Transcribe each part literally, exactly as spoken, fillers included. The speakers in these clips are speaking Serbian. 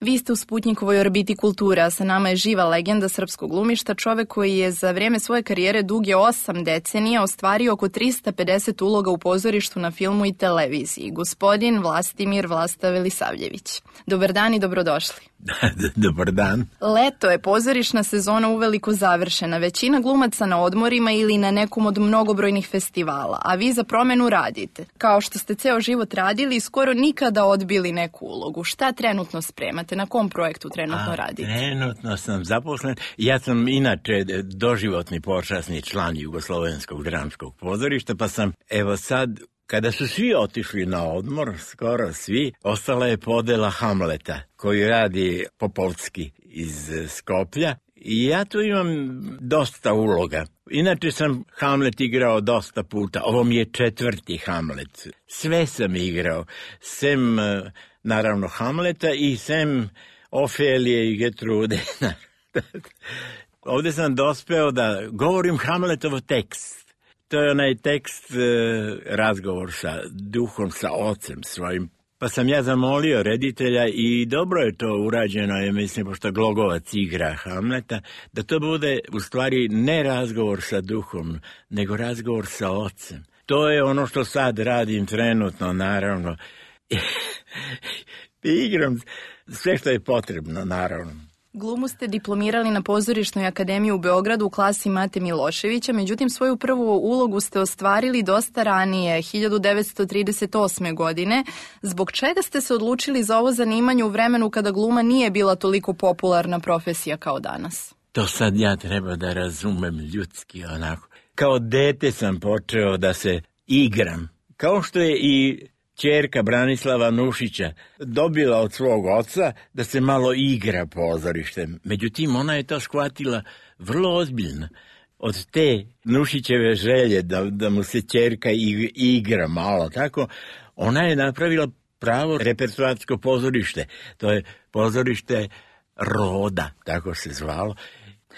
Vi ste u Sputnjikovoj orbiti kulture, a sa nama je živa legenda srpskog glumišta, čovek koji je za vrijeme svoje karijere duge osam decenija ostvario oko tristo pedeset uloga u pozorištu, na filmu i televiziji. Gospodin Vlastimir Vlasta Velisavljević. Dobar dan i dobrodošli. Dobar dan. Leto je, pozorišna sezona uveliko završena. Većina glumaca na odmorima ili na nekom od mnogobrojnih festivala, a vi za promjenu radite. Kao što ste ceo život radili, skoro nikada odbili neku ulogu. Šta trenutno spremate? Na kom projektu trenutno a, radite? Trenutno sam zaposlen. Ja sam inače doživotni počasni član Jugoslovenskog dramskog pozorišta, pa sam evo sad, kada su svi otišli na odmor, skoro svi, ostala je podela Hamleta, koji radi Popovski iz Skoplja. I ja tu imam dosta uloga. Inače sam Hamlet igrao dosta puta. Ovo mi je četvrti Hamlet. Sve sam igrao. Sem, naravno, Hamleta i sem Ofelije i Getrude. Ovdje sam dospeo da govorim Hamletov tekst. To je onaj tekst, razgovor sa duhom, sa ocem svojim. Pa sam ja zamolio reditelja i dobro je to urađeno, je, mislim, pošto Glogovac igra Hamleta, da to bude u stvari ne razgovor sa duhom, nego razgovor sa ocem. To je ono što sad radim trenutno, naravno. Igram sve što je potrebno, naravno. Glumu ste diplomirali na Pozorišnoj akademiji u Beogradu u klasi Mate Miloševića, međutim svoju prvu ulogu ste ostvarili dosta ranije, hiljadu devetsto trideset osme. godine. Zbog čega ste se odlučili za ovo zanimanje u vremenu kada gluma nije bila toliko popularna profesija kao danas? To sad ja treba da razumem ljudski onako. Kao dete sam počeo da se igram, kao što je i ćerka Branislava Nušića dobila od svog oca da se malo igra pozorištem. Međutim, ona je to shvatila vrlo ozbiljno. Od te Nušićeve želje da, da mu se ćerka igra malo, tako, ona je napravila pravo repertoarsko pozorište. To je pozorište Roda, tako se zvalo.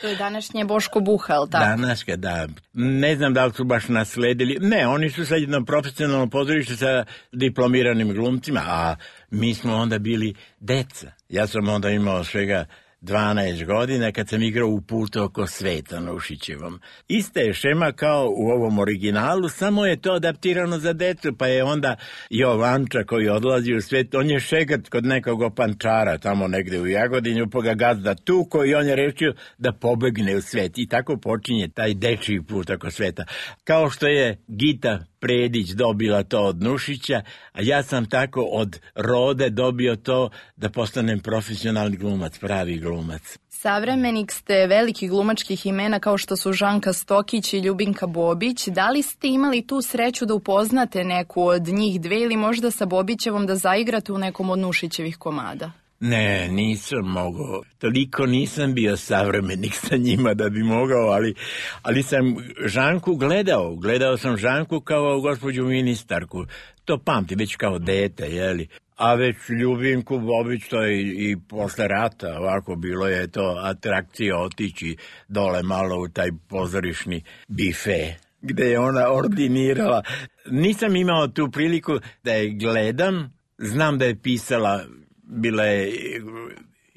To je današnje Boško Buha, ali tako? Današnje, da. Ne znam da li su baš nasledili. Ne, oni su sad jedno profesionalno pozorište sa diplomiranim glumcima, a mi smo onda bili deca. Ja sam onda imao svega dvanaest godina kad sam igrao u Putu oko sveta Nušićevom. Ista je šema kao u ovom originalu, samo je to adaptirano za decu, pa je onda Jovanča koji odlazi u svet, on je šegat kod nekog opančara tamo negde u Jagodinju, pa ga gazda tuko i on je rešio da pobegne u svet. I tako počinje taj dečiji Put oko sveta. Kao što je Gita Predić dobila to od Nušića, a ja sam tako od Rode dobio to da postanem profesionalni glumac, pravi glumac. Savremenik ste velikih glumačkih imena kao što su Žanka Stokić i Ljubinka Bobić. Da li ste imali tu sreću da upoznate neku od njih dve ili možda sa Bobićevom da zaigrate u nekom od Nušićevih komada? Ne, nisam mogao. Toliko nisam bio savremenik sa njima da bi mogao, ali, ali sam Žanku gledao. Gledao sam Žanku kao gospođu ministarku. To pamti već kao dete, jeli? A već Ljubinku Bobić, to je i, i posle rata, ovako bilo je to atrakcija otići dole malo u taj pozorišni bife gde je ona ordinirala. Nisam imao tu priliku da je gledam, znam da je pisala, bila je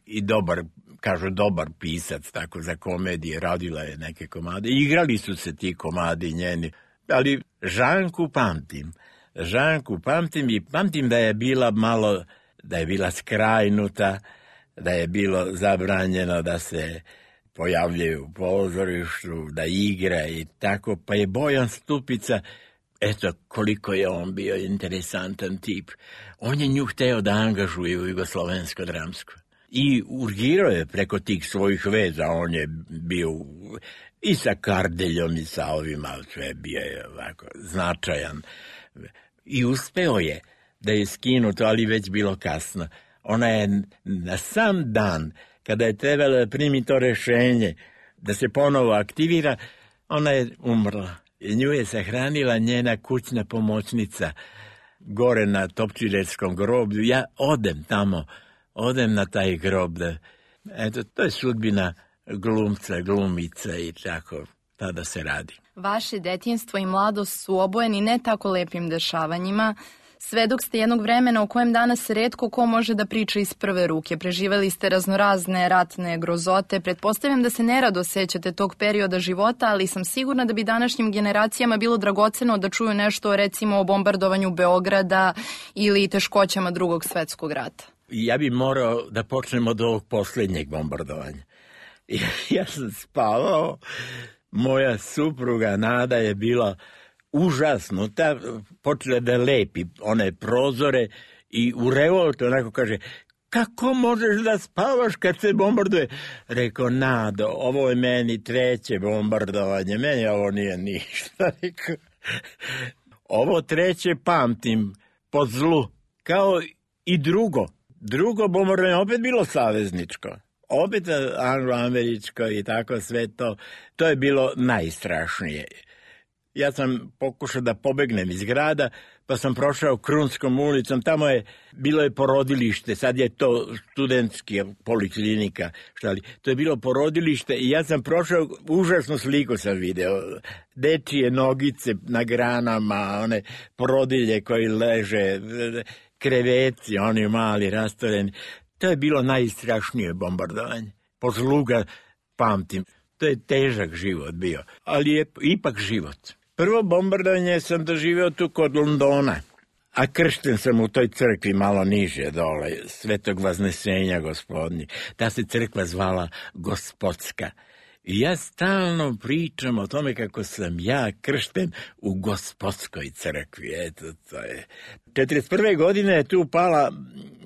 i dobar, kažu dobar pisac, tako za komedije, radila je neke komade, igrali su se ti komadi njeni, ali Žanku pamtim. Žanku pamtim i pamtim da je bila malo, da je bila skrajnuta, da je bilo zabranjeno da se pojavljaju u pozorištu, da igra i tako, pa je Bojan Stupica, eto koliko je on bio interesantan tip. On je nju hteo da angažuje u Jugoslovensko dramsko. I urgirao je preko tih svojih veza, on je bio i sa Kardeljom i sa ovima, sve bio je ovako značajan. I uspeo je da je skinuto, ali već bilo kasno. Ona je na sam dan, kada je trebalo da primi to rešenje, da se ponovo aktivira, ona je umrla. I nju je sahranila njena kućna pomoćnica gore na Topčiderskom groblju. Ja odem tamo, odem na taj grob. Da, eto, to je sudbina glumca, glumica i tako, tada se radi. Vaše detinjstvo i mladost su obojeni ne tako lepim dešavanjima. Svedok ste jednog vremena o kojem danas retko ko može da priča iz prve ruke. Preživeli ste raznorazne ratne grozote. Pretpostavljam da se nerado sećate tog perioda života, ali sam sigurna da bi današnjim generacijama bilo dragoceno da čuju nešto recimo o bombardovanju Beograda ili teškoćama Drugog svetskog rata. Ja bi morao da počnem od ovog posljednjeg bombardovanja. Ja sam spavao, moja supruga Nada je bila užasnuta, počela da lepi one prozore i u revoltu onako kaže, kako možeš da spavaš kad se bombarduje? Rekao, Nado, ovo je meni treće bombardovanje, meni ovo nije ništa. Rekao, ovo treće pamtim po zlu, kao i drugo. Drugo bombardovanje opet bilo savezničko. Opet anglo-američko i tako sve to. To je bilo najstrašnije. Ja sam pokušao da pobegnem iz grada, pa sam prošao Krunskom ulicom, tamo je bilo je porodilište, sad je to studentski poliklinika, šta li, to je bilo porodilište i ja sam prošao, užasnu sliku sam video, dečije nogice na granama, one porodilje koji leže, kreveci, oni mali, rastoreni. To je bilo najstrašnije bombardovanje. Po zlu ga pamtim. To je težak život bio, ali je ipak život. Prvo bombardovanje sam doživio tu kod Londona, a kršten sam u toj crkvi malo niže dole, Svetog Vaznesenja Gospodnji. Ta se crkva zvala Gospodska. I ja stalno pričam o tome kako sam ja kršten u Gospodskoj crkvi. Eto, to je. četrdeset prve godine je tu pala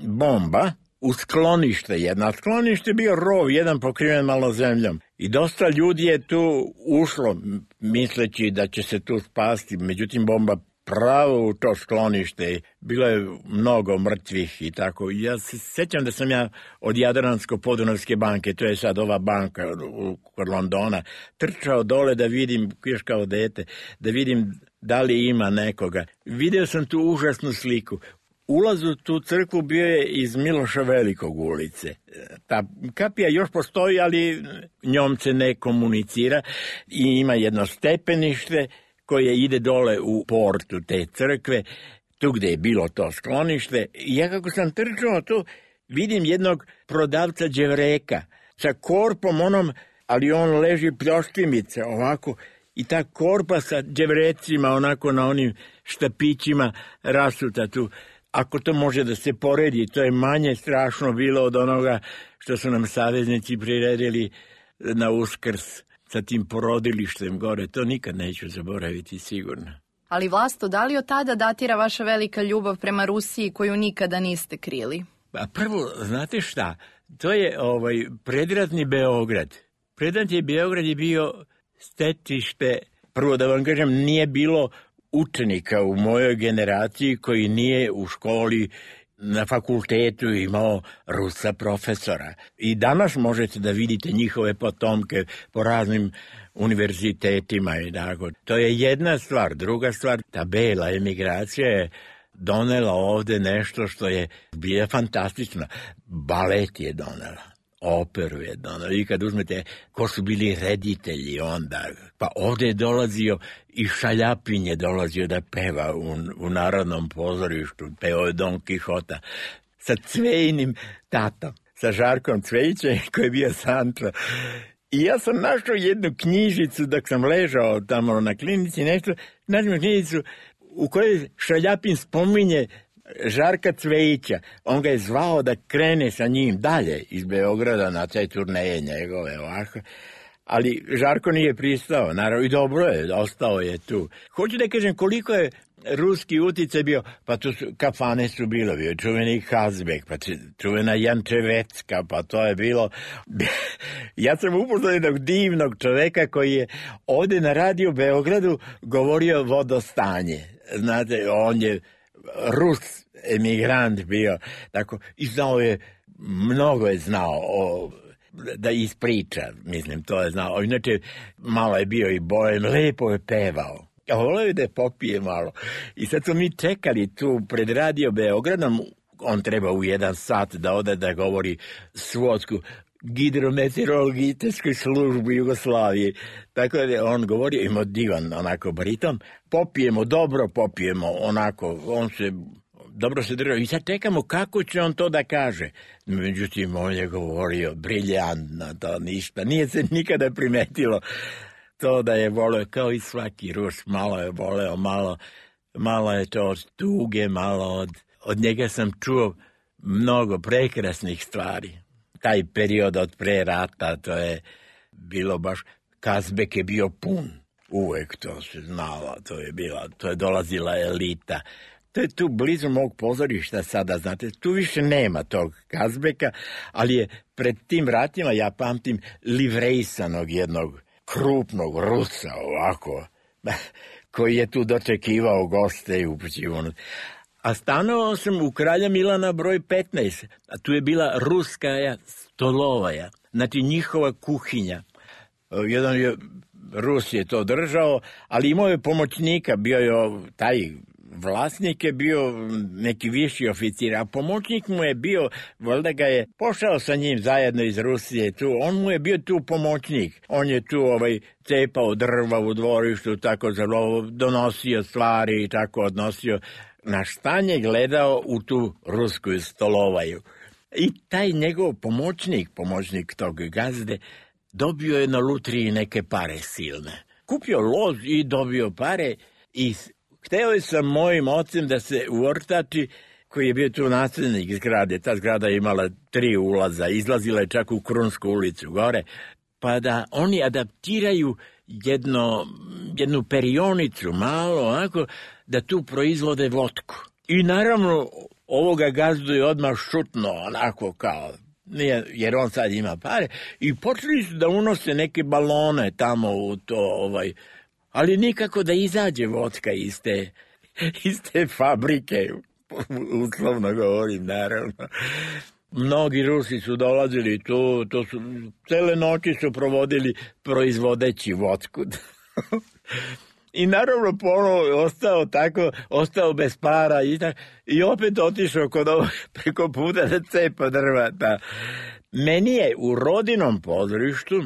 bomba u sklonište jedno. A sklonište je bio rov, jedan pokriven malo zemljom. I dosta ljudi je tu ušlo, misleći da će se tu spasti. Međutim, bomba pravo u to sklonište. Bilo je mnogo mrtvih i tako. Ja se sjećam da sam ja od Jadransko-Podunavske banke, to je sad ova banka kod Londona, trčao dole da vidim, još kao dete, da vidim da li ima nekoga. Video sam tu užasnu sliku. Ulaz u tu crkvu bio je iz Miloša Velikog ulice. Ta kapija još postoji, ali njom se ne komunicira i ima jedno stepenište koje ide dole u portu te crkve, tu gde je bilo to sklonište. I ja kako sam trčao tu, vidim jednog prodavca đevreka sa korpom onom, ali on leži pljoštimice ovako, i ta korpa sa đevrecima onako na onim štapićima rasuta tu. Ako to može da se poredi, to je manje strašno bilo od onoga što su nam saveznici priredili na Uskrs sa tim porodilištem gore. To nikad neću zaboraviti, sigurno. Ali Vlasto, da li od tada datira vaša velika ljubav prema Rusiji koju nikada niste krili? A prvo, znate šta? To je ovaj predratni Beograd. Predratni Beograd je bio stecište, prvo da vam kažem, nije bilo učenika u mojoj generaciji koji nije u školi na fakultetu imao Rusa profesora. I danas možete da vidite njihove potomke po raznim univerzitetima i tako. To je jedna stvar. Druga stvar, ta bela emigracija je donela ovde nešto što je bilo fantastično. Balet je donela. Operu je donela. I kad uzmete ko su bili reditelji onda, pa ovde je dolazio i Šaljapin je dolazio da peva u, u Narodnom pozorištu, pevao je Don Kihota sa Cvejinim tatom, sa Žarkom Cvejićem koji je bio Santra. I ja sam našao jednu knjižicu dok sam ležao tamo na klinici, nešto, našao knjižicu u kojoj Šaljapin spominje Žarka Cvejića. On ga je zvao da krene sa njim dalje iz Beograda na te turneje njegove ovako. Ali Žarko nije pristao, naravno, i dobro je, ostao je tu. Hoću da kažem koliko je ruski uticaj bio, pa tu su, kafane su bilo, bio čuveni Hazbek, pa čuvena Jančevecka, pa to je bilo. Ja sam upoznao jednog divnog čoveka koji je ovde na radio Beogradu govorio vodostanje. Znate, on je Rus emigrant bio, tako, i znao je, mnogo je znao o, da ispriča, mislim, to je znao. Inače, malo je bio i bojem, lepo je pevao. A voleo je da popije malo. I sad smo mi čekali tu pred radio Beogradom, on treba u jedan sat da ode da govori svodsku hidrometeorološkoj službi Jugoslavije. Tako da je on govorio, imao divan onako bariton, popijemo dobro, popijemo onako, on se dobro se držao. I sad čekamo kako će on to da kaže. Međutim, on je govorio briljantno, to ništa. Nije se nikada primetilo to da je voleo, kao i svaki Rus, malo je voleo, malo, malo je to od tuge, malo od, od njega sam čuo mnogo prekrasnih stvari. Taj period od pre rata, to je bilo baš, Kazbek je bio pun, uvek to se znalo, to je bila, to je dolazila elita. To je tu blizu mog pozorišta sada, znate, tu više nema tog Kazbeka, ali je pred tim ratima, ja pamtim, livrejsanog jednog krupnog Rusa, ovako, koji je tu dočekivao goste i upućivo. A stanovao sam u Kralja Milana broj petnaest, a tu je bila ruska stolovaja, znači njihova kuhinja. Jedan je, Rus je to držao, ali imao je pomoćnika, bio je taj vlasnik je bio neki viši oficir, a pomoćnik mu je bio, valjda ga je pošao sa njim zajedno iz Rusije tu, on mu je bio tu pomoćnik, on je tu ovaj cepao drva u dvorištu, tako zelo donosio stvari i tako odnosio, na štanje gledao u tu rusku stolovaju. I taj njegov pomoćnik, pomoćnik tog gazde, dobio je na lutriji neke pare silne. Kupio loz i dobio pare i hteo je sa mojim ocem da se uortači, koji je bio tu naslednik zgrade. Ta zgrada je imala tri ulaza, izlazila je čak u Krunsku ulicu gore, pa da oni adaptiraju jedno, jednu perionicu malo, onako, da tu proizvode vodku. I naravno, ovoga gazdu je odmah šutno, onako kao, nije, jer on sad ima pare, i počeli su da unose neke balone tamo u to, ovaj, ali nikako da izađe vodka iz te, iz te fabrike, uslovno govorim, naravno. Mnogi Rusi su dolazili tu, to su, cele noći su provodili proizvodeći vodku. I naravno ponovo je ostao tako, ostao bez para i, tako, i opet otišao kod ovo preko puta da cepa drvata. Meni je u rodinom pozorištu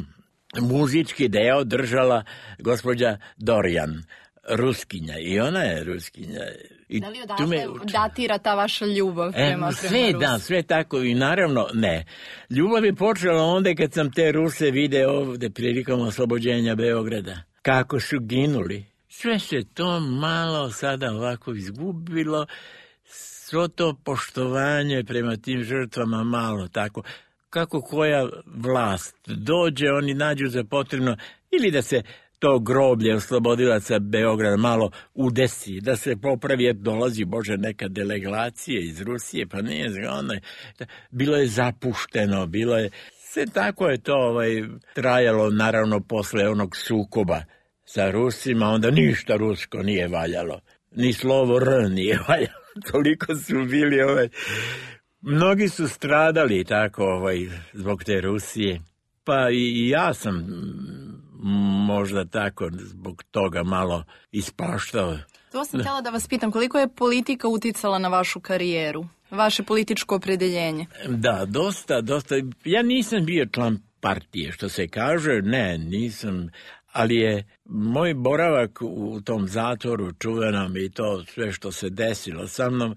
muzički deo držala gospođa Dorjan, Ruskinja, i ona je Ruskinja. I da li odatle me... datira ta vaša ljubav prema, e, sve, prema Rusu? Da, sve tako i naravno ne. Ljubav je počela onda kad sam te Ruse video ovde prilikom oslobođenja Beograda. Kako su ginuli. Sve se to malo sada ovako izgubilo, svo to poštovanje prema tim žrtvama malo tako. Kako koja vlast dođe, oni nađu za potrebno ili da se to groblje oslobodilaca Beograda malo udesi, da se popravi, dolazi, Bože, neka delegacija iz Rusije, pa nije zgodno. Bilo je zapušteno, bilo je, sve tako je to ovaj, trajalo, naravno, posle onog sukoba sa Rusima, onda ništa rusko nije valjalo, ni slovo R nije valjalo, toliko su bili ovaj... Mnogi su stradali tako ovaj, zbog te Rusije, pa i ja sam možda tako zbog toga malo ispaštao. To sam htjela da vas pitam, koliko je politika uticala na vašu karijeru, vaše političko opredeljenje? Da, dosta, dosta. Ja nisam bio član partije, što se kaže, ne, nisam, ali je moj boravak u tom zatvoru čuvenom i to sve što se desilo sa mnom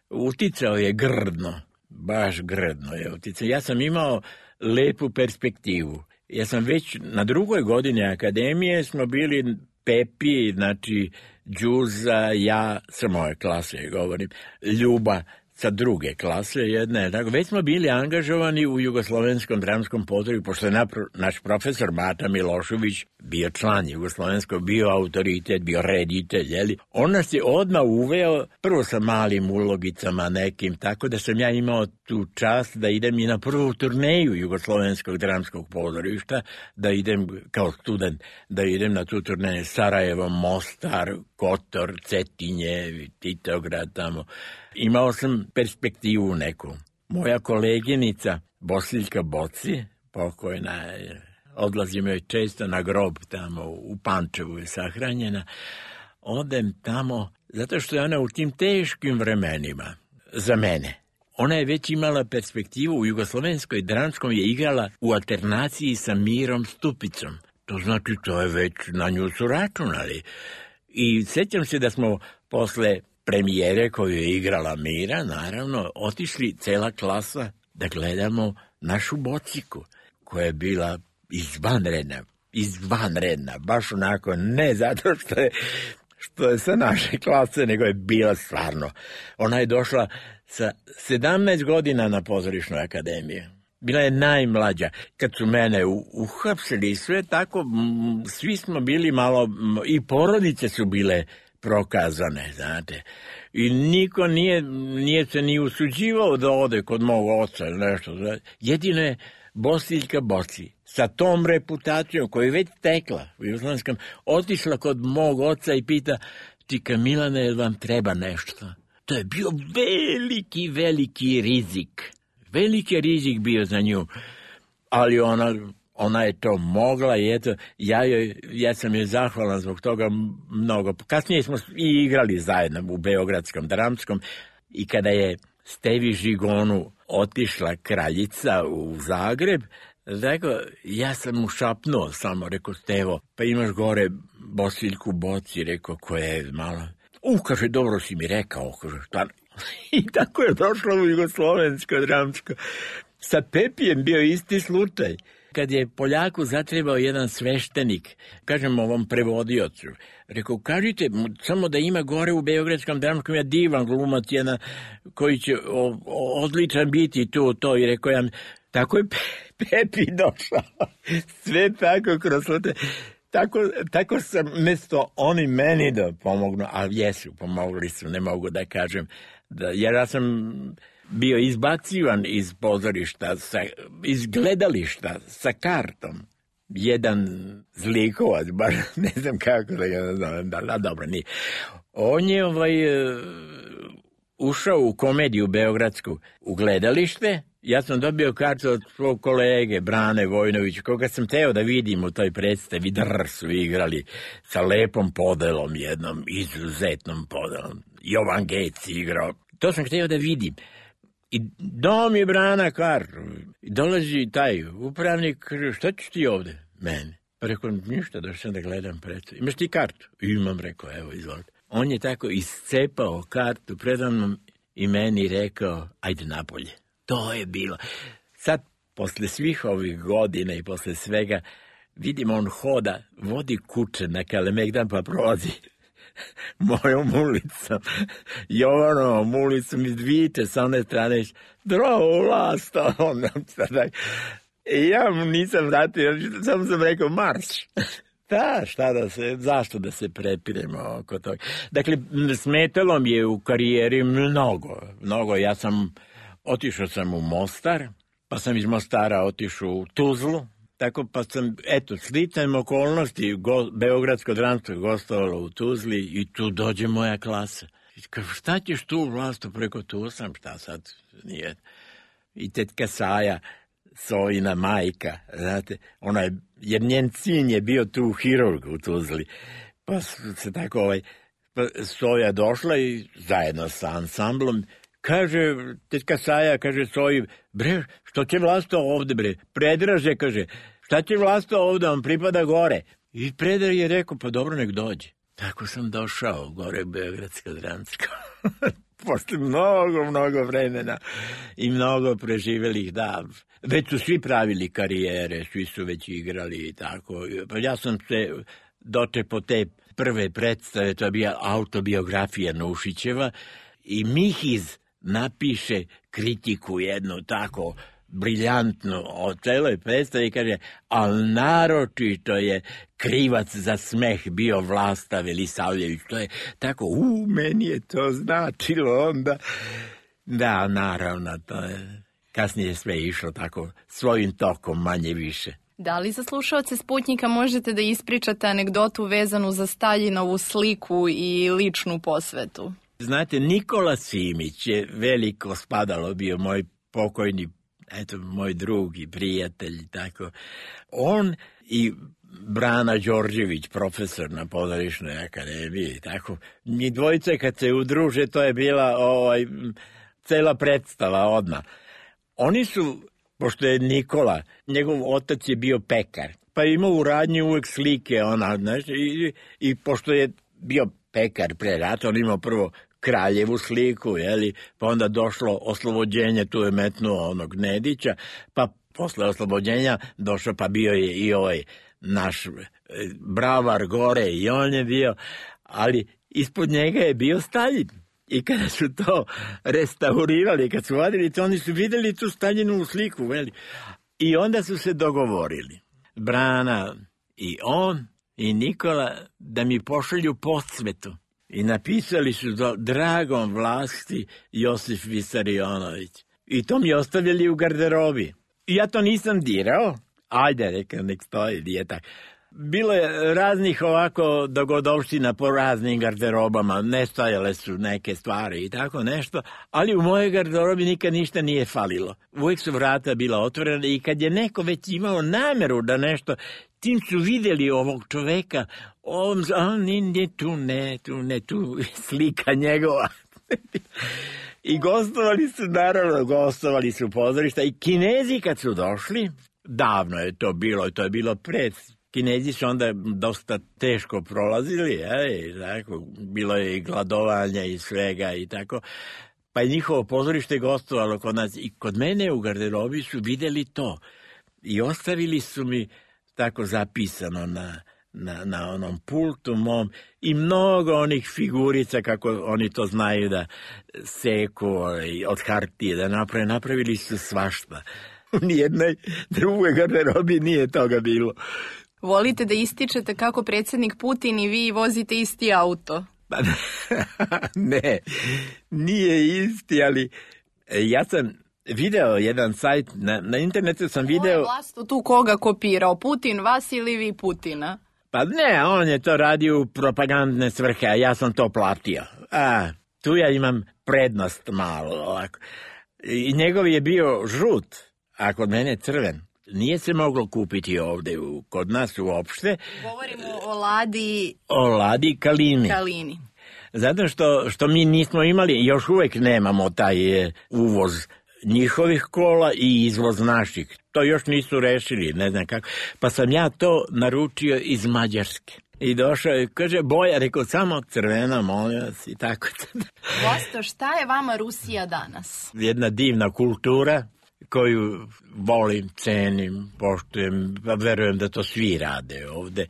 uticao je grdno. Baš grdno je uticao. Ja sam imao lepu perspektivu. Ja sam već na drugoj godini akademije smo bili Pepi, znači Đuza, ja sa moje klase govorim, Ljuba sa druge klase jedne. Tako, već smo bili angažovani u Jugoslovenskom dramskom pozorištu, pošto je napro, naš profesor Mata Milošević bio član Jugoslovenskog, bio autoritet, bio reditelj, jeli? On nas je odmah uveo, prvo sa malim ulogicama nekim, tako da sam ja imao tu čast da idem i na prvu turneju Jugoslovenskog dramskog pozorišta, da idem kao student, da idem na tu turneju Sarajevo, Mostar, Kotor, Cetinje, Titograd tamo. Imao sam perspektivu neku. Moja koleginica Bosiljka Boci, pokojna je, odlazim joj često na grob tamo u Pančevu je sahranjena, odem tamo zato što je ona u tim teškim vremenima za mene. Ona je već imala perspektivu u Jugoslovenskoj dramskom, je igrala u alternaciji sa Mirom Stupicom. To znači to je već na nju su računali. I sjećam se da smo posle premijere koju je igrala Mira, naravno, otišli cela klasa da gledamo našu bociku, koja je bila izvanredna, izvanredna, baš onako, ne zato što je, što je sa naše klase, nego je bila stvarno. Ona je došla sa sedamnaest godina na pozorišnu akademiju. Bila je najmlađa. Kad su mene uhapsili sve tako, m, svi smo bili malo, m, i porodice su bile prokazane, znate. I niko nije, nije se ni usuđivao da ode kod mog oca, nešto. Jedino je Bosiljka Boci, sa tom reputacijom koju je već tekla u Jugoslavenskom, otišla kod mog oca i pita, tika Milane, jel vam treba nešto? To je bio veliki, veliki rizik. Veliki rizik bio za nju, ali ona, ona je to mogla i eto, ja, joj, ja sam joj zahvalan zbog toga mnogo. Kasnije smo i igrali zajedno u Beogradskom dramskom i kada je Stevi Žigonu otišla kraljica u Zagreb, rekao, ja sam mu šapnuo samo, rekao, Stevo, pa imaš gore Bosiljku Boci, rekao, koja je malo... U, kaže, dobro si mi rekao, kaže, šta... I tako je došlo u Jugoslovensko dramsko. Sa Pepijem bio isti slučaj. Kad je Poljaku zatrebao jedan sveštenik, kažem ovom prevodiocu, rekao, kažite, samo da ima gore u Beogradskom dramskom, ja divan glumac jedan koji će o, o, odličan biti tu, to, i rekao ja, tako je Pepi došao. Sve tako kroz slučaj. Tako, tako sam, mesto oni meni da pomognu, ali jesu, pomogli su, ne mogu da kažem, da, jer ja sam bio izbacivan iz pozorišta, sa, iz gledališta sa kartom. Jedan zlikovac, baš ne znam kako da ga nazovem, da, da, dobro, nije. On je ovaj, ušao u komediju beogradsku u gledalište. Ja sam dobio kartu od svog kolege Brane Vojnovića, koga sam teo da vidim u toj predstavi. Drr su igrali sa lepom podelom jednom, izuzetnom podelom. Jovan Gec igrao. To sam hteo da vidim. I dao mi Brana kartu. I dolazi taj upravnik, kaže, šta ćeš ti ovde? Mene. Pa rekao, ništa, došao sam da gledam predstavu. Imaš ti kartu? Imam, rekao, evo, izvolite. On je tako iscepao kartu predamnom i meni rekao, ajde napolje. To je bilo. Sad, posle svih ovih godina i posle svega, vidim on hoda, vodi kuće na Kalemegdan pa prolazi mojom ulicom, Jovanovom ulicom iz Dvite sa one strane, zdravo vlast, on sada. I ja mu nisam vratio, samo sam rekao marš. Da, šta da se, zašto da se prepiremo oko toga. Dakle, smetalo mi je u karijeri mnogo, mnogo. Ja sam, otišao sam u Mostar, pa sam iz Mostara otišao u Tuzlu, tako pa sam, eto, sličajem okolnosti, go, Beogradsko dramsko gostovalo u Tuzli i tu dođe moja klasa. I kaže, šta ćeš tu vlastu preko tu sam, šta sad nije. I tetka Saja, Sojina majka, znate, ona je, jer njen sin je bio tu hirurg u Tuzli, pa se tako ovaj, pa Soja došla i zajedno sa ansamblom, kaže, tetka Saja, kaže Soji, bre, što će vlasto ovde, bre, Predraže, kaže, šta će vlasto ovde, on pripada gore. I Predrag je rekao, pa dobro, nek dođe. Tako sam došao gore Beogradsko dramsko. Posle mnogo, mnogo vremena i mnogo preživelih, da. Već su svi pravili karijere, svi su već igrali i tako. Pa ja sam se dočepo te prve predstave, to je bila autobiografija Nušićeva i Mihiz napiše kritiku jednu tako briljantnu o celoj predstavi i kaže, ali naročito je krivac za smeh bio Vlasta Velisavljević. To je tako, u, meni je to značilo onda. Da, naravno, to je, kasnije je sve išlo tako svojim tokom, manje više. Da li za slušaoce Sputnjika možete da ispričate anegdotu vezanu za Staljinovu sliku i ličnu posvetu? Znate, Nikola Simić je veliko spadalo bio moj pokojni, eto, moj drug i prijatelj, tako. On i Brana Đorđević, profesor na Pozorišnoj akademiji, tako. Mi dvojice kad se udruže, to je bila ovaj, cela predstava odmah. Oni su, pošto je Nikola, njegov otac je bio pekar, pa je imao u radnji uvek slike, ona, znaš, i, i pošto je bio pekar pre rata, on imao prvo kraljevu sliku, jeli? Pa onda došlo oslobođenje, tu je metnuo onog Nedića, pa posle oslobođenja došao, pa bio je i ovaj naš bravar gore i on je bio, ali ispod njega je bio Staljin. I kada su to restaurirali, kad su vadili to, oni su vidjeli tu Staljinovu sliku, veli. I onda su se dogovorili, Brana i on i Nikola, da mi pošalju podsvetu. I napisali su do dragom vlasti Josif Visarionović. I to mi ostavili u garderobi. I ja to nisam dirao. Ajde, reka, nek stoji, nije tako. Bilo je raznih ovako dogodovština po raznim garderobama, nestajale su neke stvari i tako nešto, ali u mojoj garderobi nikad ništa nije falilo. Uvijek su vrata bila otvorena i kad je neko već imao nameru da nešto, tim su vidjeli ovog čoveka, on, on nije tu, ne, tu, ne, tu, slika njegova. I gostovali su, naravno, gostovali su pozorišta i Kinezi kad su došli, davno je to bilo, to je bilo pred. Kinezi su onda dosta teško prolazili, je, tako, bilo je i gladovanja i svega i tako, pa je njihovo pozorište gostovalo kod nas i kod mene u garderobi su vidjeli to i ostavili su mi tako zapisano na, na, na onom pultu mom i mnogo onih figurica, kako oni to znaju da seku od hartije, da naprave, napravili su svašta. U nijednoj drugoj garderobi nije toga bilo. Volite da ističete kako predsjednik Putin i vi vozite isti auto? Ne, nije isti, ali ja sam video jedan sajt, na, na internetu sam video... Ovo je vlast tu koga kopirao, Putin vas ili vi Putina? Pa ne, on je to radio u propagandne svrhe, a ja sam to platio. A, tu ja imam prednost malo, ovako. I njegov je bio žut, a kod mene crven. Nije se moglo kupiti ovdje u, kod nas uopšte. Govorimo o Ladi... O Ladi Kalini. Kalini. Zato što, što mi nismo imali, još uvijek nemamo taj e, uvoz njihovih kola i izvoz naših. To još nisu rešili, ne znam kako. Pa sam ja to naručio iz Mađarske. I došao je, kaže, boja, rekao, samo crvena, molim vas, i tako. Vosto, šta je vama Rusija danas? Jedna divna kultura koju volim, cenim, poštujem, pa verujem da to svi rade ovde.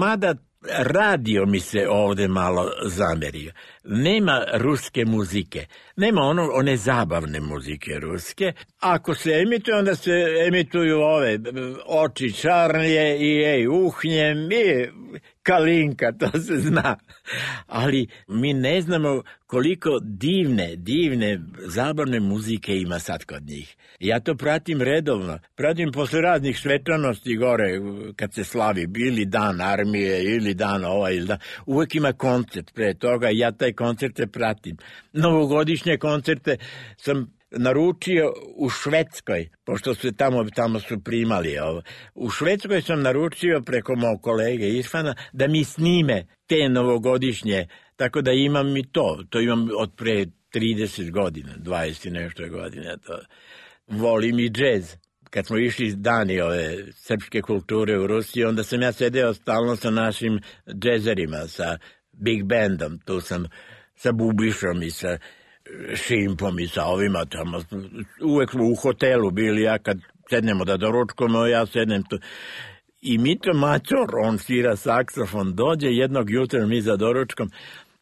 Mada radio mi se ovde malo zamerio. Nema ruske muzike. Nema ono, one zabavne muzike ruske. Ako se emituje, onda se emituju ove oči čarnije i ej, uhnjem i Kalinka, to se zna. Ali mi ne znamo koliko divne, divne zabavne muzike ima sad kod njih. Ja to pratim redovno. Pratim posle raznih svečanosti gore, kad se slavi ili dan armije, ili dan ovaj, ili dan. Uvijek ima koncert pre toga, ja taj koncerte pratim. Novogodišnje koncerte sam naručio u Švedskoj, pošto su tamo, tamo su primali ovo. U Švedskoj sam naručio preko mog kolege Irfana da mi snime te novogodišnje, tako da imam i to. To imam od pre trideset godina, dvadeset i nešto godina. To. Volim i džez. Kad smo išli dani ove srpske kulture u Rusiji, onda sam ja sedeo stalno sa našim džezerima, sa big bandom. Tu sam sa Bubišom i sa Šimpom i sa ovima tamo. Uvek smo u hotelu bili, ja kad sednemo da doručkamo, ja sednem tu. I Mito Mačor, on svira saksofon, dođe jednog jutra mi za doručkom,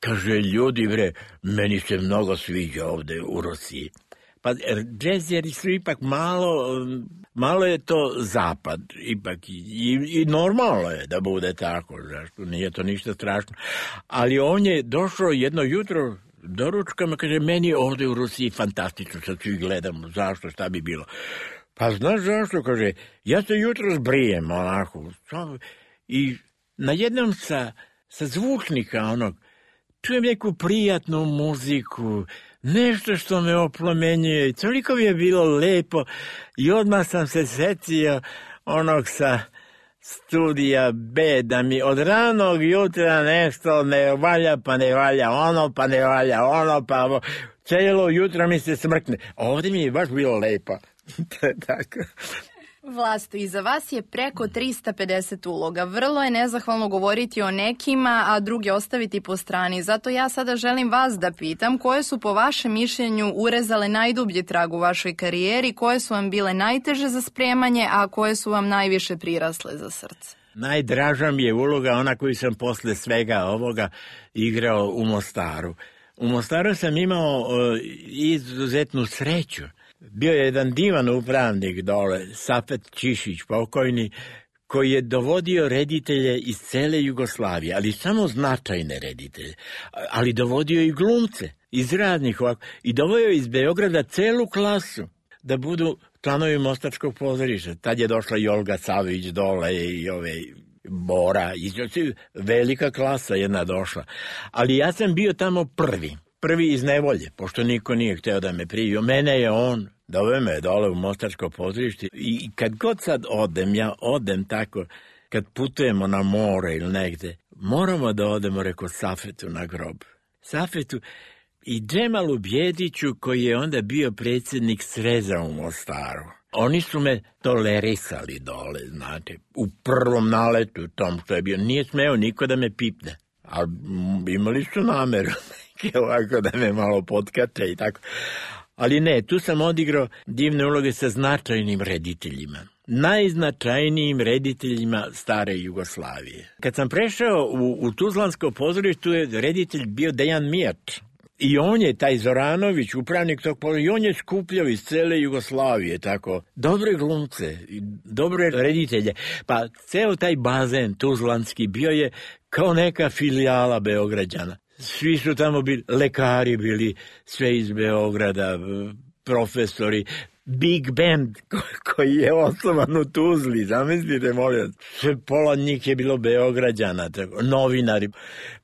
kaže, ljudi bre, meni se mnogo sviđa ovde u Rusiji. Pa džezeri su ipak malo, malo je to zapad, ipak i, i, i normalno je da bude tako, zašto nije to ništa strašno. Ali on je došao jedno jutro doručkama, kaže, meni je ovde u Rusiji fantastično, sad svi gledamo, zašto, šta bi bilo. Pa znaš zašto, kaže, ja se jutro zbrijem, onako, i najednom sa, sa zvučnika, onog, čujem neku prijatnu muziku, nešto što me oplomenjuje, i toliko mi je bilo lepo, i odmah sam se setio onog sa studija B, da mi od ranog jutra nešto ne valja, pa ne valja ono, pa ne valja ono, pa ovo. Cijelo jutro mi se smrkne. Ovdje mi je baš bilo lepo. Tako. Vlasto, iza vas je preko trista pedeset uloga. Vrlo je nezahvalno govoriti o nekima, a druge ostaviti po strani. Zato ja sada želim vas da pitam koje su po vašem mišljenju urezale najdublji trag u vašoj karijeri, koje su vam bile najteže za spremanje, a koje su vam najviše prirasle za srce? Najdraža mi je uloga ona koju sam posle svega ovoga igrao u Mostaru. U Mostaru sam imao uh, izuzetnu sreću. Bio je jedan divan upravnik dole, Safet Čišić, pokojni, koji je dovodio reditelje iz cele Jugoslavije, ali samo značajne reditelje, ali dovodio i glumce iz raznih ovako, i dovodio iz Beograda celu klasu da budu članovi Mostarskog pozorišta. Tad je došla i Olga Savić dole i ove Bora, velika klasa jedna došla. Ali ja sam bio tamo prvi. Prvi iz nevolje, pošto niko nije hteo da me primi. Mene je on, doveo me dole u Mostarsko pozorište i kad god sad odem, ja odem tako, kad putujemo na more ili negde, moramo da odemo, reko, Safetu na grob. Safetu i Džemalu Bjediću, koji je onda bio predsjednik Sreza u Mostaru. Oni su me tolerisali dole, znate, u prvom naletu tom što je bio. Nije smeo niko da me pipne, ali imali su nameru ovako da me malo potkače i tako. Ali ne, tu sam odigrao divne uloge sa značajnim rediteljima. Najznačajnijim rediteljima stare Jugoslavije. Kad sam prešao u, u Tuzlansko pozorište, tu je reditelj bio Dejan Mijač. I on je, taj Zoranović, upravnik tog pozorišta, i on je skupljao iz cele Jugoslavije, tako, dobre glumce, dobre reditelje. Pa ceo taj bazen tuzlanski bio je kao neka filijala Beograđana. Svi su tamo bili, lekari bili, sve iz Beograda, profesori, Big Band koji je osnovan u Tuzli, zamislite, molim, sve pola njih je bilo Beograđana, tako, novinari.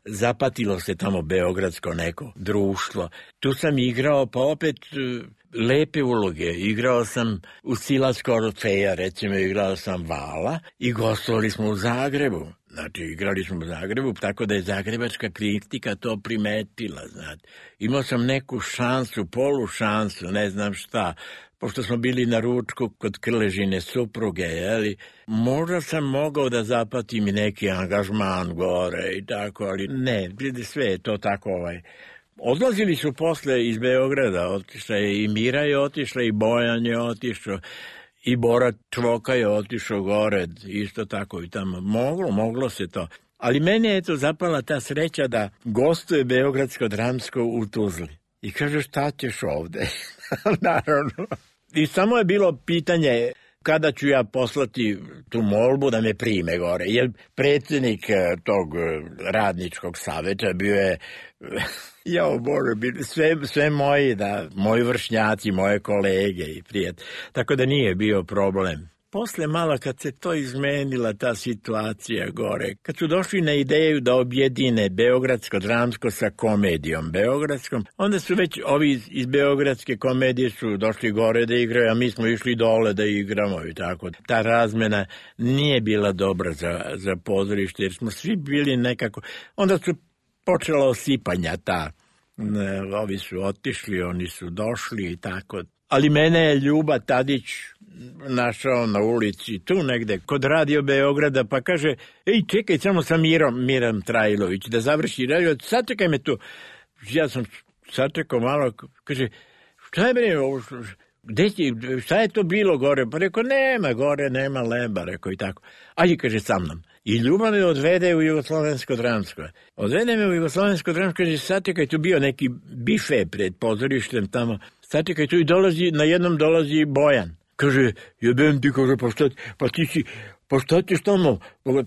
Zapatilo se tamo beogradsko neko društvo. Tu sam igrao, pa opet lepe uloge. Igrao sam u Silasko Orfeja, recimo, igrao sam Vala i gostovali smo u Zagrebu. Znači, igrali smo u Zagrebu, tako da je zagrebačka kritika to primetila, znate. Imao sam neku šansu, polu šansu, ne znam šta, pošto smo bili na ručku kod Krležine supruge, jeli, možda sam mogao da zapatim i neki angažman gore i tako, ali ne, sve je to tako ovaj. Odlazili su posle iz Beograda, otišla je i Mira je otišla i Bojan je otišao, i Bora Čvoka je otišao gore, isto tako i tamo. Moglo, moglo se to. Ali mene je to zapala ta sreća da gostuje Beogradsko dramsko u Tuzli. I kaže, šta ćeš ovde? Naravno. I samo je bilo pitanje kada ću ja poslati tu molbu da me prime gore. Jer predsjednik tog radničkog saveta bio je, jao Bože, sve, sve moji, da, moji vršnjaci, moje kolege i prijatelji. Tako da nije bio problem. Posle malo kad se to izmenila ta situacija gore, kad su došli na ideju da objedine Beogradsko dramsko sa komedijom beogradskom, onda su već ovi iz, iz Beogradske komedije su došli gore da igraju, a mi smo išli dole da igramo i tako. Ta razmena nije bila dobra za, za pozorište, jer smo svi bili nekako, onda su počela osipanja ta, ne, ovi su otišli, oni su došli i tako. Ali mene je Ljuba Tadić našao na ulici, tu negde, kod Radio Beograda, pa kaže, ej, čekaj, samo sa Mirom, Miram Trajlović, da završi radio, sačekaj me tu. Ja sam sačekao malo, kaže, šta je bre, gde ti, šta je to bilo gore? Pa rekao, nema gore, nema leba, rekao i tako. Ajde, kaže, sa mnom. I Ljuba me odvede u Jugoslovensko dramsko. Odvede me u Jugoslovensko dramsko, kaže, sačekaj, tu bio neki bife pred pozorištem tamo, sačekaj, tu i dolazi, na jednom dolazi Bojan. Kaže, jebem ti, kaže, pa šta, pa ti si, pa šta ćeš tamo?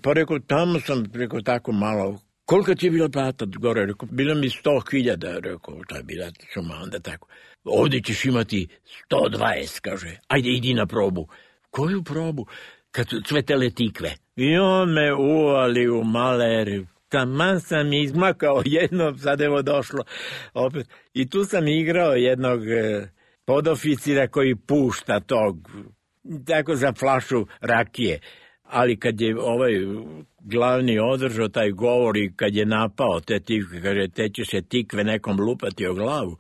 Pa rekao, tamo sam, rekao, tako malo. Koliko ti je bila plata gore? Rekao, bilo mi sto hiljada, rekao, ta je bila suma, onda tako. Ovdje ćeš imati sto dvadeset, kaže, ajde, idi na probu. Koju probu? Kad su cvetele tikve. I on me uvali u maler, taman sam izmakao jednom, sad evo došlo opet. I tu sam igrao jednog podoficira koji pušta tog, tako za flašu rakije. Ali kad je ovaj glavni održao taj govor i kad je napao te tikve, kaže, te će se tikve nekom lupati o glavu,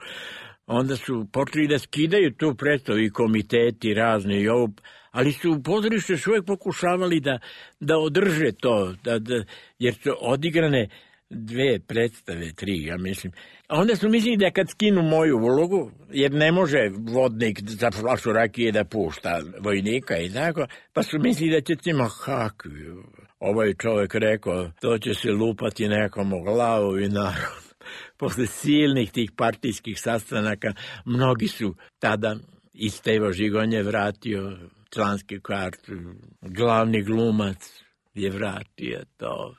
onda su počeli da skidaju tu predstavu i komiteti razni i ovo, ali su u pozorištu još uvijek pokušavali da, da održe to, da, da, jer su odigrane dve predstave, tri, ja mislim. A onda su mislili da kad skinu moju ulogu, jer ne može vodnik za flašu rakije da pušta vojnika i tako, pa su mislili da će tima kakvi. Ovaj čovjek rekao, to će se lupati nekom u glavu i naravno. Posle silnih tih partijskih sastanaka, mnogi su tada, i Stevo Žigon je vratio članske karte, glavni glumac je vratio to.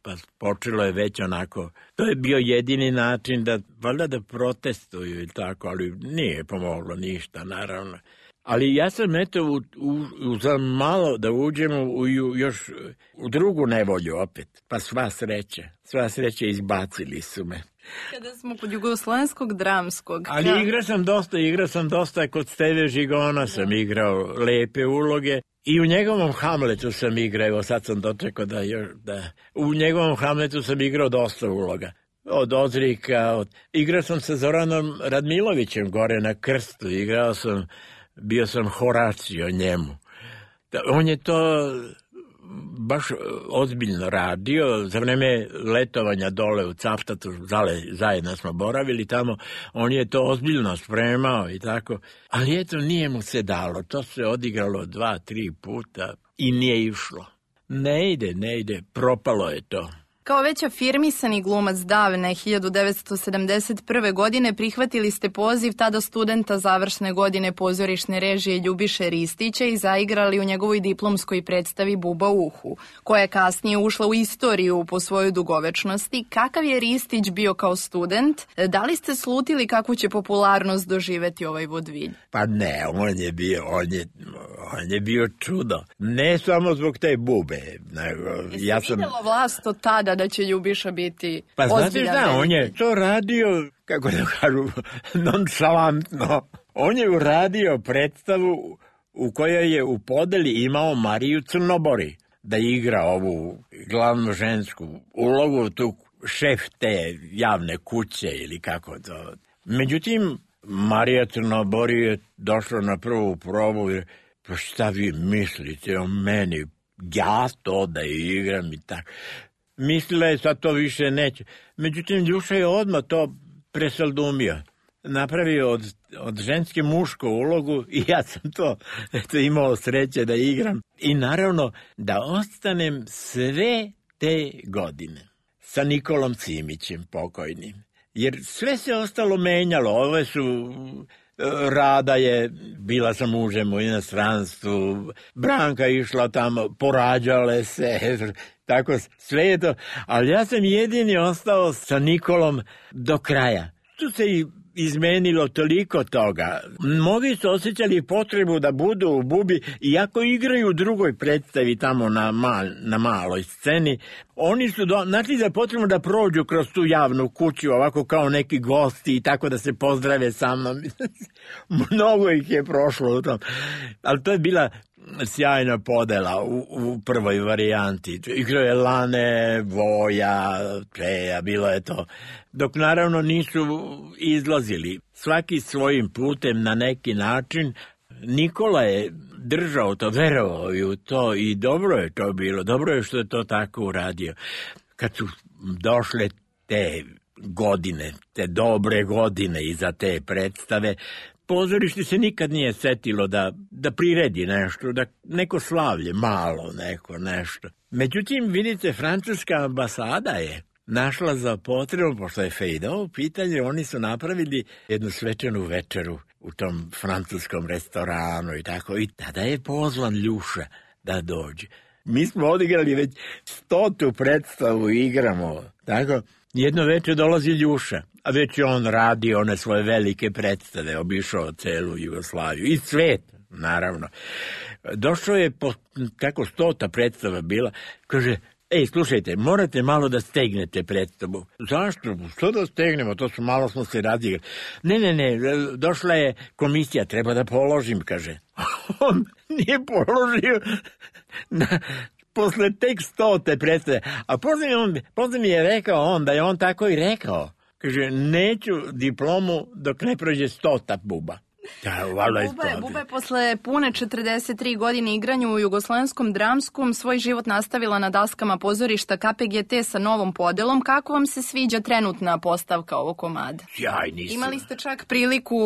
Pa počelo je već onako, to je bio jedini način da, valjda da protestuju i tako, ali nije pomoglo ništa, naravno. Ali ja sam eto u, u, u, za malo da uđemo u, još u drugu nevolju opet, pa sva sreća, sva sreća izbacili su me. Kada smo kod jugoslovenskog dramskog... Ali ja... igrao sam dosta, igrao sam dosta, kod Steve Žigona sam igrao lepe uloge. I u njegovom Hamletu sam igrao, evo sad sam dočekao da, da... U njegovom Hamletu sam igrao dosta uloga. Od Ozrika, od... igrao sam sa Zoranom Radmilovićem gore na Krstu, igrao sam, bio sam Horacio njemu. On je to baš ozbiljno radio, za vreme letovanja dole u Cavtatu, zajedno smo boravili tamo, on je to ozbiljno spremao i tako, ali eto nije mu se dalo, to se odigralo dva, tri puta i nije išlo. Ne ide, ne ide, propalo je to. Kao već afirmisani glumac davne hiljadu devetsto sedamdeset prve. godine prihvatili ste poziv tada studenta završne godine pozorišne režije Ljubiše Ristića i zaigrali u njegovoj diplomskoj predstavi Buba u uhu, koja je kasnije ušla u istoriju po svojoj dugovečnosti. Kakav je Ristić bio kao student? Da li ste slutili kakvu će popularnost doživeti ovaj vodvilj? Pa ne, on je bio, on je, on je bio čudo. Ne samo zbog te bube. Nego, ja sam... vidjelo vlast od tada da će Ljubiša biti pa ozbiljan. Pa znate šta, on je to radio, kako da kažu, nonšalantno. On je uradio predstavu u kojoj je u podeli imao Mariju Crnobori da igra ovu glavnu žensku ulogu, tu šef te javne kuće ili kako to. Međutim, Marija Crnobori je došla na prvu probu i pa šta vi mislite o meni, ja to da igram i tako. Mislila je sad to više neće. Međutim, Ljuša je odmah to presaldumio. Napravio od, od ženske mušku ulogu i ja sam to eto, imao sreće da igram. I naravno da ostanem sve te godine sa Nikolom Cimićem pokojnim. Jer sve se ostalo menjalo. Ove su... Rada je bila sa mužem u inostranstvu, Branka išla tamo, porađale se, tako sve je to. Ali ja sam jedini ostao sa Nikolom do kraja. Tu se i izmenilo toliko toga. Mnogi su osjećali potrebu da budu u Bubi, iako igraju u drugoj predstavi tamo na, mal, na maloj sceni, oni su do, našli za potrebu da prođu kroz tu javnu kuću, ovako kao neki gosti i tako da se pozdrave sa mnom. Mnogo ih je prošlo u tom. Ali to je bila sjajna podela u, u prvoj varijanti. Igrao je Lane, Voja, Čeja, bilo je to. Dok naravno nisu izlazili svaki svojim putem na neki način. Nikola je držao to, verovao i u to i dobro je to bilo. Dobro je što je to tako uradio. Kad su došle te godine, te dobre godine iza te predstave, pozorište se nikad nije setilo da, da priredi nešto, da neko slavlje, malo neko nešto. Međutim, vidite, francuska ambasada je našla za potrebu, pošto je Fejdo u pitanju, oni su napravili jednu svečanu večeru u tom francuskom restoranu i tako. I tada je pozvan Ljuša da dođe. Mi smo odigrali već stotu predstavu, igramo, tako. Jedno večer dolazi Ljuša, a već je on radi one svoje velike predstave, obišao celu Jugoslaviju i svet, naravno. Došao je, po, kako stota predstava bila, kaže, ej, slušajte, morate malo da stegnete predstavu. Zašto? Što da stegnemo? To su malo smo se radigrali. Ne, ne, ne, došla je komisija, treba da položim, kaže. On nije položio na... posle tek stote predstave. A posle, on, posle mi je rekao on, da je on tako i rekao. Kaže, neću diplomu dok ne prođe stota buba. Da, valjda je Buba, je, to. Buba je posle pune četrdeset tri godine igranju u Jugoslovenskom dramskom svoj život nastavila na daskama pozorišta K P G T sa novom podelom. Kako vam se sviđa trenutna postavka ovog komada? Jaj, nisam. Imali ste čak priliku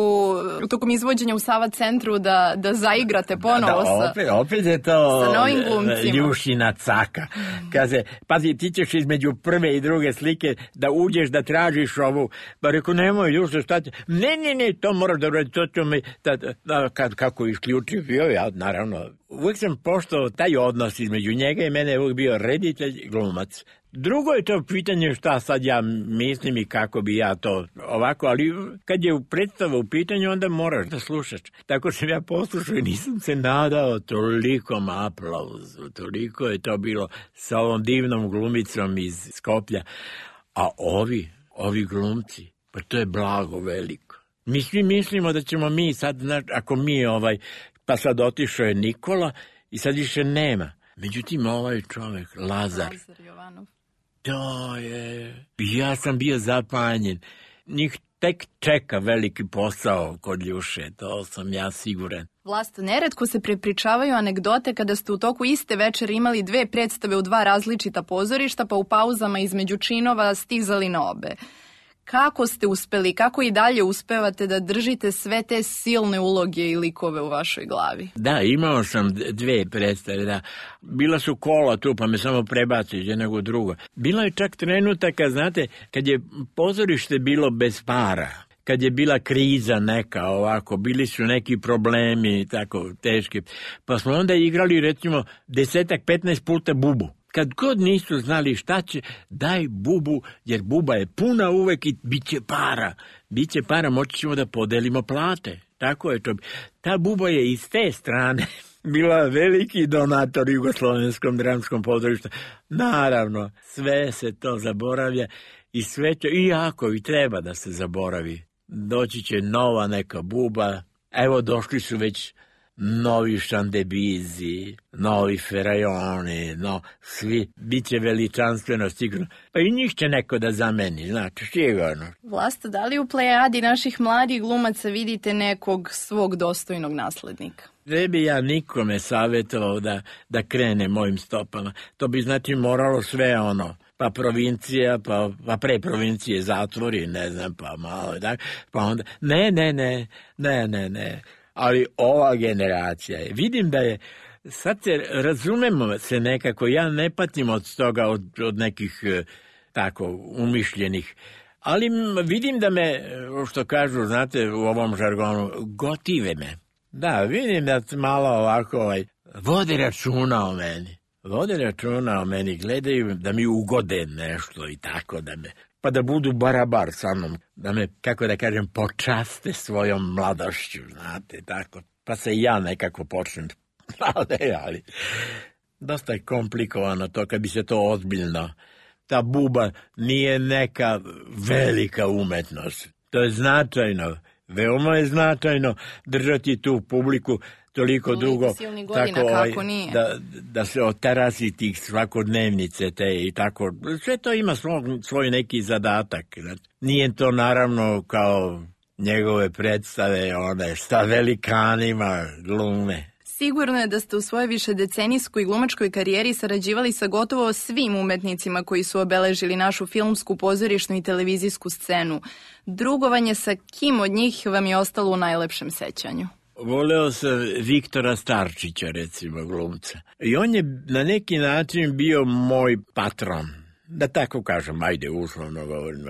tokom izvođenja u Sava centru da, da zaigrate ponovo da, sa... opet, opet je to sa novim glumcima. Ljušina caka. Kaže, pazi, ti ćeš između prve i druge slike da uđeš da tražiš ovu. Pa rekao, nemoj, Ljuša, šta će? Ne, ne, ne, to moraš da uradi, to ću mi... Da, da, kad, kako isključio bio, ja, naravno. Uvijek sam poštovao taj odnos između njega i mene je uvijek bio reditelj, glumac. Drugo je to pitanje šta sad ja mislim i kako bi ja to ovako, ali kad je predstava u pitanju, onda moraš da slušaš. Tako sam ja poslušao i nisam se nadao tolikom aplauzu, toliko je to bilo sa ovom divnom glumicom iz Skoplja. A ovi, ovi glumci, pa to je blago veliko. Mi svi mislimo da ćemo mi sad, znaš, ako mi ovaj, pa sad otišao je Nikola i sad više nema. Međutim, ovaj čovjek, Lazar, Lazar Jovanov. To je... Ja sam bio zapanjen. Njih tek čeka veliki posao kod Ljuše, to sam ja siguran. Vlasto, neretko se prepričavaju anegdote kada ste u toku iste večeri imali dve predstave u dva različita pozorišta, pa u pauzama između činova stizali na obe. Kako ste uspeli, kako i dalje uspevate da držite sve te silne uloge i likove u vašoj glavi? Da, imao sam dve predstave, da. Bila su kola tu, pa me samo prebaci iz jednog u drugo. Bilo je čak trenutaka, znate, kad je pozorište bilo bez para, kad je bila kriza neka ovako, bili su neki problemi tako teški, pa smo onda igrali recimo desetak, petnaest puta Bubu. Kad god nisu znali šta će, daj Bubu, jer Buba je puna uvek i bit će para. Biće para, moći ćemo da podelimo plate. Tako je to. Ta Buba je iz te strane bila veliki donator Jugoslovenskom dramskom pozorištu. Naravno, sve se to zaboravlja i sve će, iako i treba da se zaboravi. Doći će nova neka Buba, evo došli su već novi Šandebizi, novi Ferajoni, no, svi, bit će veličanstveno sigurno. Pa i njih će neko da zameni, znači, sigurno. Vlasto, da li u plejadi naših mladih glumaca vidite nekog svog dostojnog naslednika? Ne bi ja nikome savjetovao da, da krene mojim stopama. To bi znači moralo sve ono, pa provincija, pa, pa pre provincije zatvori, ne znam, pa malo, da, pa onda, ne, ne, ne, ne, ne, ne. Ali ova generacija je, vidim da je, sad se razumemo se nekako, ja ne patim od toga, od, od nekih tako umišljenih, ali vidim da me, što kažu, znate, u ovom žargonu, gotive me. Da, vidim da malo ovako ovaj, vode računa o meni, vode računa o meni, gledaju da mi ugode nešto i tako da me, pa da budu barabar sa mnom, da me, kako da kažem, počaste svojom mladošću, znate, tako. Pa se ja nekako počnem, ali, ali, dosta je komplikovano to kad bi se to ozbiljno. Ta Buba nije neka velika umetnost, to je značajno, veoma je značajno držati tu publiku toliko dugo, godina, tako ovaj, da, da se otarasi tih svakodnevnice te i tako. Sve to ima svoj, svoj neki zadatak. Nije to naravno kao njegove predstave, one sa velikanima glume. Sigurno je da ste u svojoj višedecenijskoj glumačkoj karijeri sarađivali sa gotovo svim umetnicima koji su obeležili našu filmsku, pozorišnu i televizijsku scenu. Drugovanje sa kim od njih vam je ostalo u najlepšem sećanju? Voleo sam Viktora Starčića, recimo, glumca. I on je na neki način bio moj patron. Da tako kažem, ajde, uslovno govorim.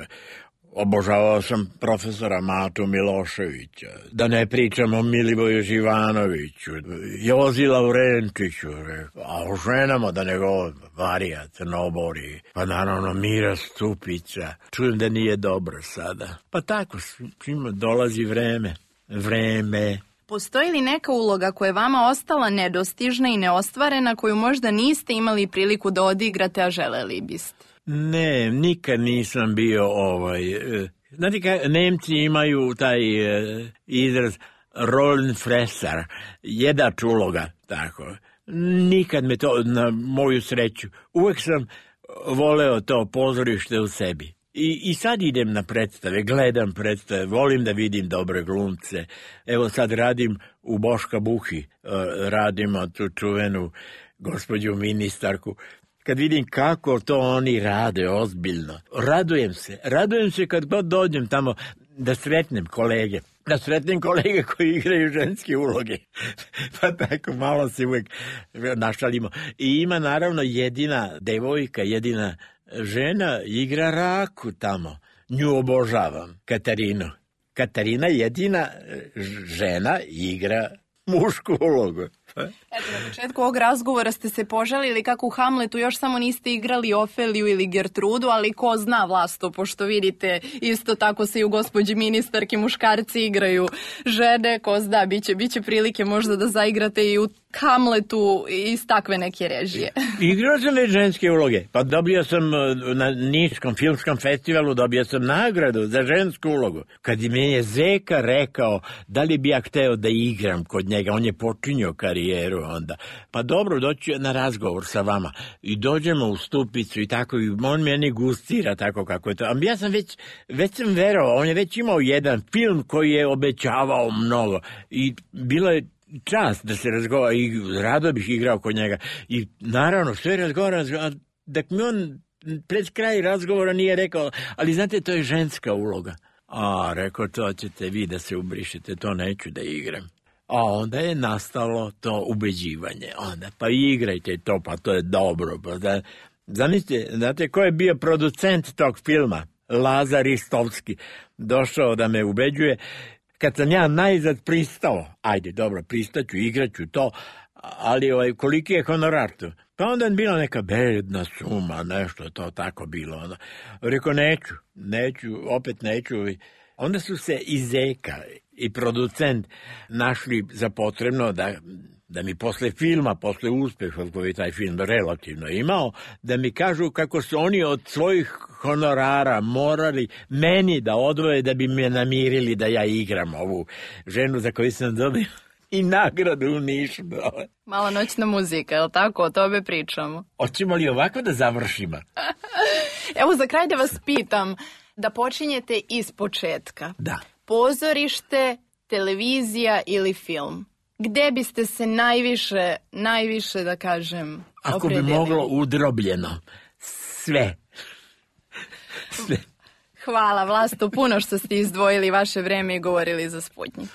Obožavao sam profesora Matu Miloševića. Da ne pričam o Milivoju Živanoviću, Jozi Laurenčiću, a o ženama da ne govorim, Varija Crnobori, pa naravno Mira Stupića. Čujem da nije dobro sada. Pa tako, svima dolazi vreme. Vreme. Postoji li neka uloga koja je vama ostala nedostižna i neostvarena, koju možda niste imali priliku da odigrate, a želeli biste? Ne, nikad nisam bio ovaj... Znate kaj, Nemci imaju taj izraz Rollenfresser, jedač uloga, tako. Nikad me to, na moju sreću, uvek sam voleo to pozorište u sebi. I, I sad idem na predstave, gledam predstave, volim da vidim dobre glumce. Evo sad radim u Boška Buhi, radimo tu čuvenu gospođu ministarku. Kad vidim kako to oni rade ozbiljno, radujem se. Radujem se kad god dođem tamo da sretnem kolege. Da sretnem kolege koji igraju ženske uloge. Pa tako malo se uvek našalimo. I ima naravno jedina devojka, jedina žena igra Raku tamo. Nju obožavam, Katarinu. Katarina jedina žena igra mušku ulogu. Eto, na početku ovog razgovora ste se požalili kako u Hamletu još samo niste igrali Ofeliju ili Gertrudu, ali ko zna, Vlasto, pošto vidite isto tako se i u gospođi ministarki muškarci igraju žene, ko zna, biće, biće prilike možda da zaigrate i u Hamletu iz takve neke režije. Igrao sam već ženske uloge, pa dobio sam na Niškom filmskom festivalu, dobio sam nagradu za žensku ulogu. Kad mi je Zeka rekao da li bi ja hteo da igram kod njega, on je počinio karijeru onda. Pa dobro, doću na razgovor sa vama i dođemo u Stupicu i tako, i on meni gustira tako kako je to. A ja sam već, već sam verovao, on je već imao jedan film koji je obećavao mnogo i bilo je čast da se razgovara i rado bih igrao kod njega. I naravno, sve razgovara, da mi on pred kraj razgovora nije rekao, ali znate, to je ženska uloga. A, rekao, to ćete vi da se ubrišete, to neću da igram. A onda je nastalo to ubeđivanje. Onda, pa igrajte to, pa to je dobro. Pa da, zamislite, znate, ko je bio producent tog filma? Lazar Ristovski. Došao da me ubeđuje. Kad sam ja najzad pristao, ajde, dobro, pristaću, igraću to, ali ovaj, koliki je honorar tu? Pa onda je bila neka bedna suma, nešto to tako bilo. Onda. Rekao, neću, neću, opet neću. Onda su se i Zeka i producent našli za potrebno da, da mi posle filma, posle uspeha koji taj film relativno imao, da mi kažu kako su oni od svojih honorara morali meni da odvoje da bi me namirili da ja igram ovu ženu za koju sam dobio i nagradu u Nišu. Mala noćna muzika, je li tako? O tome pričamo. Hoćemo li ovako da završimo? Evo, za kraj da vas pitam, da počinjete iz početka. Da. Pozorište, televizija ili film? Gde biste se najviše, najviše, da kažem, Ako opredelili? bi moglo udrobljeno. Sve. Sve. Hvala, Vlasto, puno što ste izdvojili vaše vreme i govorili za Sputnjik.